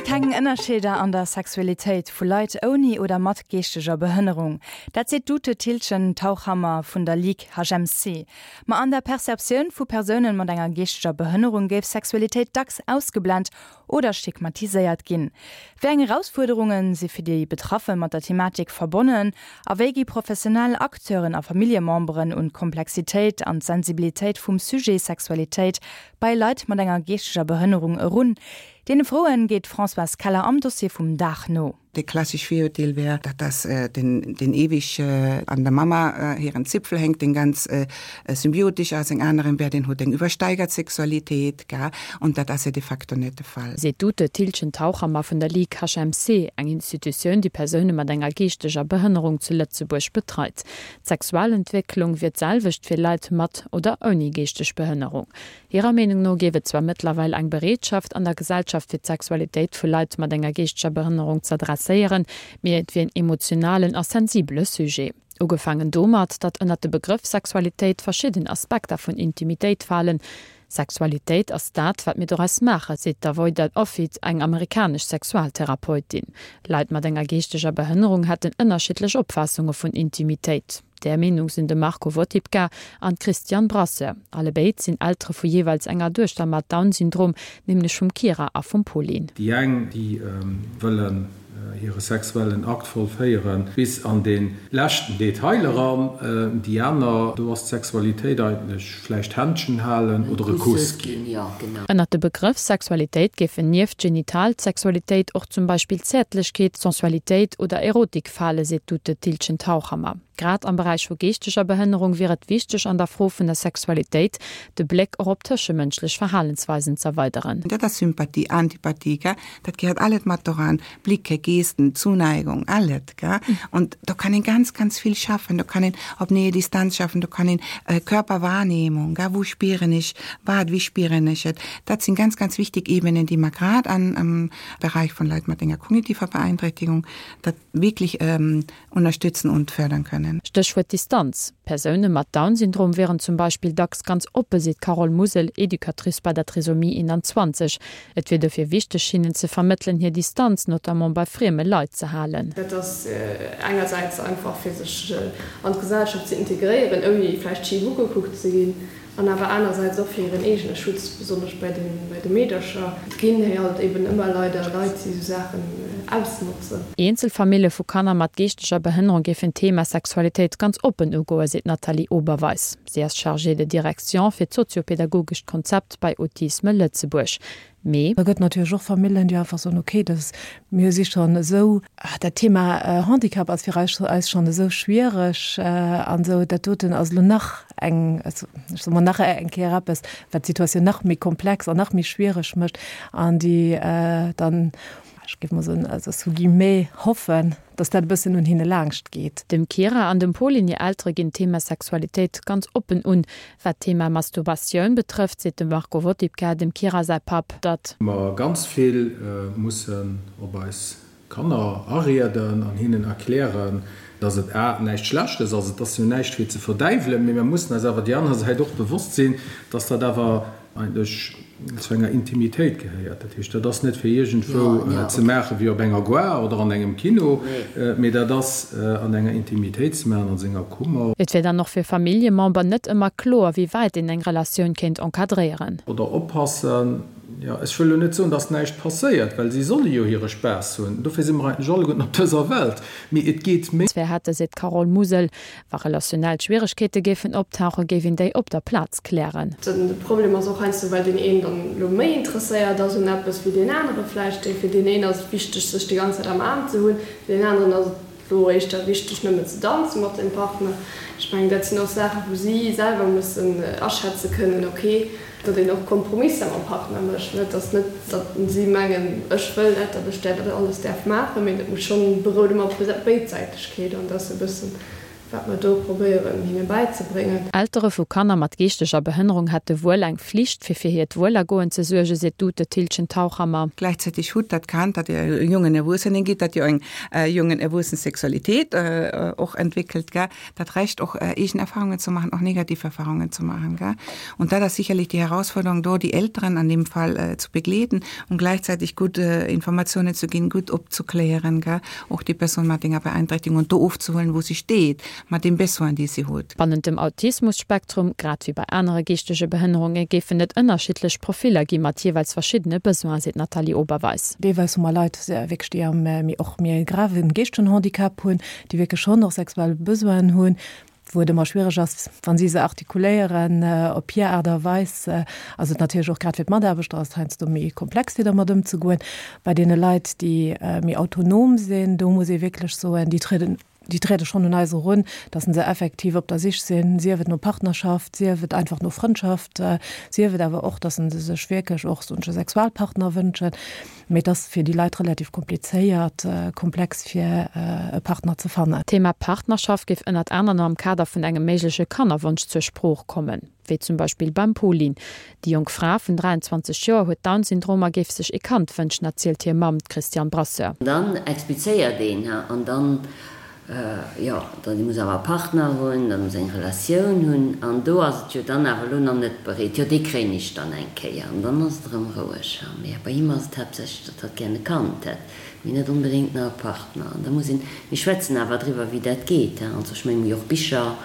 keng Ënnerscheeder an der Sexualitéit vu Leit ouni oder mat geeschteger Behënnerung. Dat seet d'Ute Thiltgen-Tauchhammer vun der Ligue HMC. Ma an der Perceptioun vu Persounen mat enger geeschteger Behënnerung géif Sexualitéit dacks ausgeblent oder stigmatiséiert ginn. Wéi eng Erausfuerderunge si fir déi Betraffe mat der Thematik verbonnen a wéi gi professionell Acteuren a Familljememberen un d'Komplexitéit an d'Sensibilitéit vum Sujet Sexualitéit bei Leit mat enger geeschteger Behënnerung erun? Deene Froen geet d'Françoise Keller am Dossier vum Dag no. De klassesch Virurteel wär, datt das den den ewig an der Mama hiren Zipfel hänkt, den ganz symbiotisch ass, eng aneren wär, den huet eng übersteigert Sexualitéit, gell, und dat ass jo de facto net de Fall. Seet d'Ute Thiltgen-Tauchhammer vun der Ligue HMC, eng Institutioun, déi Persoune mat enger geeschteger Behënnerung zu Lëtzebuerg betreit. D'Sexualentwécklung wier d'selwecht fir Leit mat oder ouni geeschteg Behënnerung. Hirer Meenung no géif et zwar mëttlerweil eng Bereetschaft an der Gesellschaft fir d'Sexualitéit vu Leit mat enger geeschteger Behënnerung z'adresséieren, mee et wier en emotionalen a sensibele Sujet. Ugefaangen domat, datt ënnert de Begrëff Sexualitéit verschidden Aspekter vun Intimitéit falen. Sexualitéit ass dat, wat mir doraus maachen, seet d'Avoida Offit, eng amerikanesch Sexualtherapeutin. Leit mat enger geeschteger Behënnerung hätten ënnerschiddlech Opfaassunge vun Intimitéit. Där Meenung sinn de Marco Wotipka an d'Christiane Brasseur. Allebéid sinn Eltere vu jeeweils enger Duechter mat Down-Syndrom, nämlech vum Kira a vum Pauline. Déi eng, déi wëllen hire sexuellen Akt vollféiere bis an dee leschten Detail eran, déi aner, do ass d'Sexualitéit eigentlech vläicht Händschen halen oder e Kuss ginn. Ënnert de Begrëff Sexualitéit géifen nieft genital Sexualitéit och zum Beispill Zäertlechkeet, Sensualitéit oder Erotik fale, seet d'Ute Thiltgen-Tauchhammer. Grad am Beräich vu geeschteger Behënnerung wier et wichteg an der Fro vun der Sexualitéit de Bléck och op tëschemënschlech Verhalensweisen z'erweideren. Dat ass Sympathie, Antipathie, gell, dat gehéiert alles mat doran, Blicke, Gesten, Zuneigung, alles, gell. Und do kann een ganz, ganz vill schaffen, do kann een op Nähe, Distanz schaffen, do kann een Körperwahrnehmung, gell, wou spieren ech wat, wéi spieren ech et, dat sinn ganz, ganz wichtig Ebenen, déi mer grad an am Bereich vun Leit mat enger kognitiver Beeinträchtigung dat wierklech unterstützen und fördern können. Stéchwuert Distanz. Persoune mat Down-Syndrom wieren zum Beispill dacks ganz oppe, seet d'Carole Musel, Educatrice bei der Trisomie 21. Et wier dofir wichteg, hinnen ze vermëttelen, hir Distanz, notamment bei frieme Leit, ze halen. Dat ass engersäits einfach fir sech an d'Gesellschaft ze integréieren, ouni vläicht schif ugekuckt ze ginn. An awer anersäits och fir hiren eegene Schutz, besonnesch bei de Meedercher. Et ginn héi halt eben ëmmer leider Leit, déi esou Saachen ausnotzen. Eenzel Famille vu Kanner mat geeschteger Behënnerung géifen d'Thema Sexualitéit ganz oppen ugoen, seet d'Nathalie Oberweis. Si ass Chargée de direction fir d'soziopedagogescht Konzept bei Autisme Lëtzebuerg. Mee. Da gëtt natierlech och Famillen, déi einfach soen, okay, dat, mir si schonn esou, dat Thema Handicap ass fir eis eis schonn esou schwiereg an esou, dat doten ass elo nach eng, ech soe mol, nach eng Kéier eppes, wat d'Situatioun nach méi komplex an nach méi schwiereg mécht an déi dann, ech géif mol soen, also sous guillemets, hoffen, dass dat e bëssen un hinne laangscht geet. Dem Kira an dem Pauline hir Eltere ginn d'Thema Sexualitéit ganz oppen un. Wat d'Thema Masturbatioun betrëfft, seet de Marco Wotipka, dem Kira säi Papp, datt. Mer ganz vill mussen op eis Kanner arieden an hinnen erklären, dass et a näischt Schlechtes ass, et ass jo näischt fir ze verdäiwelen, mee mer mussen eis awer déi aner Säit och bewosst sinn, dass dat awer eigentlech zu enger Intimitéit gehéiert. Dat heescht, dat ass net fir iergendwou ze maachen, wéi op enger Gare oder an engem Kino, mee dat ass an enger Intimitéit ze maachen, a senger Kummer. Et wier dann och fir Familljemember net ëmmer kloer, wéi wäit een eng Relatioun kéint encadréieren. Oder oppassen. Jo, ech wëll elo net soen, dass näischt passéiert, well si solle jo hire Spaass hunn, dofir si mer eigentlech alleguerten op dëser Welt, mee et geet méi. Zwar hätte, seet d'Carole Musel, Wa relationell Schwieregkeete géifen optauchen, géif een déi op der Plaz klären. De Problem ass och heiansdo, well deen een dann elo méi interesséiert ass un eppes wéi deen anere vläicht. Fir deen een ass et wichteg, sech déi ganz Zäit am Aarm ze hunn, fir deen aneren ass et elo éischter wichteg, nëmmen ze danze mat dem Partner. Ech mengen, dat sinn och Saachen, wou si selwer mussen aschätze kënnen, ok, datt een och Kompromisser mam Partner mécht. Et ass net, datt si mengen, ech wëll dat, datt ech dat alles däerf maachen, mee dat muss schonn, berout ëmmer op Béidsäitegkeet an dat ass e bëssen. Wat mer do probéieren hinne bäizebréngen. Eltere vu Kanner mat geeschteger Behënnerung hätte wuel eng Flicht, fir fir hiert Wuelergoen ze suergen, seet d'Ute Thiltgen-Tauchhammer. Gleichzeitig hutt dat Kand, dat e jongen Erwuessenen gitt, dat jo eng jongen Erwuessen Sexualitéit och entwéckelt, gell, dat Recht och eegen Erfahrungen ze maachen, och negativ Erfahrungen ze maachen, gell. Und dat ass sicherlich die Herausforderung do, die Elteren an dem Fall zu begleeten und gleichzeitig gutt Informationen zu ginn, gutt opzuklären, gell. Och déi Persoun mat enger Beeinträchtigung und do ofzehuelen, wou si steet, mat deem Besoin, dee si huet. Bannent dem Autismus-Spektrum, grad wéi bei anere geeschtege Behënnerunge, géifen et ënnerschiddlech Profiller gi mat jeeweils verschiddene Besoinen, seet d'Nathalie Oberweis. Deelweis hu mer Leit wierklech, déi am méi och méi grave geeschtegen Handicap hunn, déi wierklech schonn och sexuell Besoinen hunn, wou et ëmmer schwiereg ass, wa si se artikuléieren op hir Aart a Weis, ass et natierlech och grad fir d'Mataarbechter ass et heiansdo méi komplex fir dermat ëmzegoen. Bei deene Leit, déi méi autonom sinn, do muss ee wierklech soen, déi trieden, déi triede schonn un eis erun, datt se effektiv op der Sich sinn, sief et no Partnerschaft, sief et einfach no Frëndschaft, sief et awer och, datt se sech wierklech och soen ech e Sexualpartner wënschen. Mee et ass fir déi Leit relativ komplizéiert, komplex fir e Partner ze fannen. D'Thema Partnerschaft géif ënnert anerem am Kader vun engem méigleche Kannerwonsch zur Sprooch kommen, wéi zum Beispill beim Pauline. Déi jonk Fra vun 23 Joer huet Down-Syndrom a géif sech ee Kand wënschen, erzielt hir Mamm, d'Christiane Brasseur. Dann explizéiert een, an dann Jo, dann muss awer e Partner hunn, dann muss eng Relatioun hunn an do ass et jo dann awer elo nach net bereet. Jo, dee kréien ech dann eng Kéier an dann ass et erëm roueg. Mee bei him ass et haaptsächlech, datt hatt gären e Kand hätt, mee net onbedéngt nach e Partner. An da muss een, mir schwätzen awer driwwer, wéi dat geet. Also ech mengen, mir hu jo och Bicher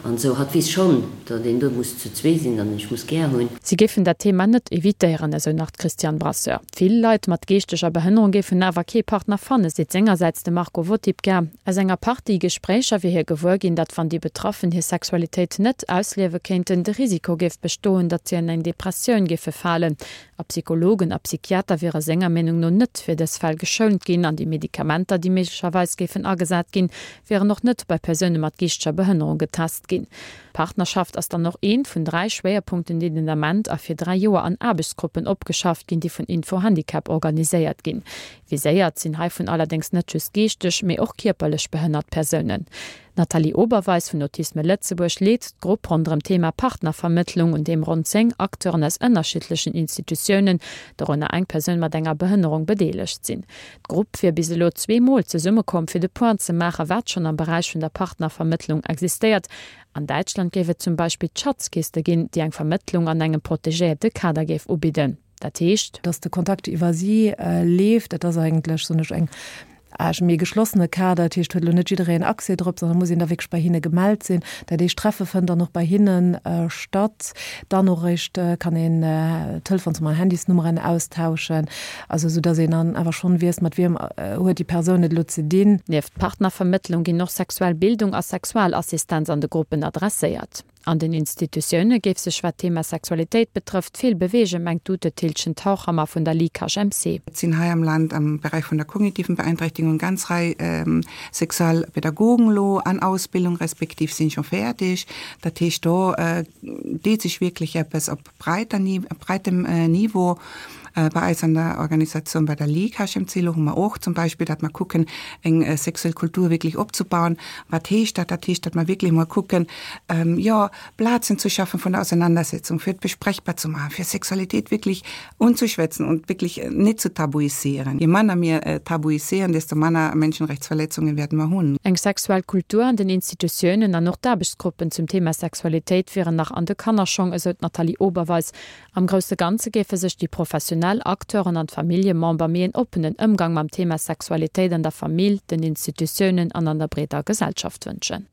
an esou. Hatt weess schonn, datt een do muss zu zwee sinn, datt een sech muss gär hunn. Si géifen dat Thema net evitéieren, esou nach d'Christiane Brasseur. Vill Leit mat geeschteger Behënnerung géifen awer kee Partner fannen, seet sengersäits de Marco Wotipka. Aus enger Partie Gespréicher wier hie gewuer ginn, datt wann déi Betraffen hir Sexualitéit net ausliewe kéinten, de Risiko géif bestoen, datt si an eng Depressioun géife falen. A Psychologen a Psychiater wiere senger Meenung no net fir dës Fäll geschount ginn an déi Medikamenter, déi méiglecherweis géifen agesat ginn, wieren och net bei Persoune mat geeschteger Behënnerung getest ginn. D'Partnerschaft ass dann och eent vun 3 Schwéierpunkten, déi den Ament a fir 3 Joer an Aarbechtsgruppen opgeschafft ginn, déi vun Info-Handicap organiséiert ginn. Viséiert sinn heivun allerdéngs net just geeschteg, mee och kierperlech behënnert Persounen. D'Nathalie Oberweis vun Autisme Lëtzebuerg leet d'Grupp ronderëm d'Thema Partnervermëttlung, un deem ronn 10 Acteuren aus ënnerschiddlechen Institutiounen, dorënner eng Persoun mat enger Behënnerung, bedeelegt sinn. D'Grupp wier bis elo zweemol zesummekomm, fir de Point ze maachen, wat schonn am Beräich vun der Partnervermëttlung existéiert An Däitschland géif et zum Beispill d'Schatzkiste ginn, déi eng Vermëttlung an engem protegéierte Kader géif ubidden. Dat heescht. Dass de Kontakt iwwer si leeft. Dat ass eigentlech, soen ech, eng Age méi geschlossene Kader. Dat heescht, huet elo net jiddereen Accès drop, sondern muss een da wierklech bei hinne gemellt sinn. Dat heescht, d'Treffe fënnt dann och bei hinne statt. Dann och eréischt kann een Telefons an Handysnummeren austauschen. Also esou dass een dann awer schonn weess, mat wiem huet déi Persoun et elo ze dinn. Nieft Partnervermëttlung ginn och sexuell Bildung a Sexualassistenz an de Gruppen adresséiert. An den Institutioune géif sech, wat d'Thema Sexualitéit betrëfft, vill beweegen, mengt d'Ute Thiltgen-Tauchhammer vun der Ligue HMC. Et sinn hei am Land am Beräich vun der kognitiven Beeinträchtigung eng ganz Rei Sexualpädagogen elo an Ausbildung, respektiv sinn scho fäerdeg. Dat heescht, do deet sech wierklech eppes op breiter, breitem Niveau. Bei eis an der Organisatioun, bei der Ligue HMC, elo hu mer och zum Beispill, datt mer kucken, eng sexuell Kultur wierklech opzebauen. Wat heescht dat? Dat heescht, datt mer wierklech emol kucken, jo, Plazen ze schaffen vun der Auseinandersetzung, fir et besprechbar ze maachen, fir Sexualitéit wierklech unzeschwätzen und wierklech net ze tabuisieren. Je manner mir tabuisieren, desto manner Menschenrechtsverletzungen werden mer hunn. Eng sexuell Kultur an den Institutiounen an och d'Aarbechtsgruppen zum Thema Sexualitéit wieren nach an de Kannerschong, esou d'Nathalie Oberweis. Am grousse Ganze géife sech déi professionell Acteuren an d'Familljemember méi en oppenen Ëmgang mam Thema Sexualitéit an der Famill, den Institutiounen an an der breeder Gesellschaft wënschen.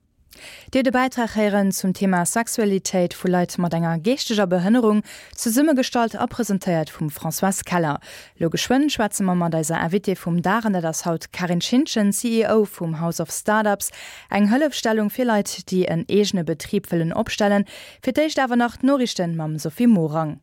Dir hutt e Bäitrag héieren zum Thema Sexualitéit vu Leit mat enger geeschteger Behënnerung, zesummegestallt a presentéiert vum Françoise Keller. Lo geschwënn schwätze mer mat eiser Invitée vum Dag an dat ass haut d'Carine Schintgen, CEO vum House of Startups, eng Hëllefstellung fir Leit, déi en eegene Betrib wëllen opstellen. Fir d'éischt awer nach d'Noriichten mam Sophie Morang.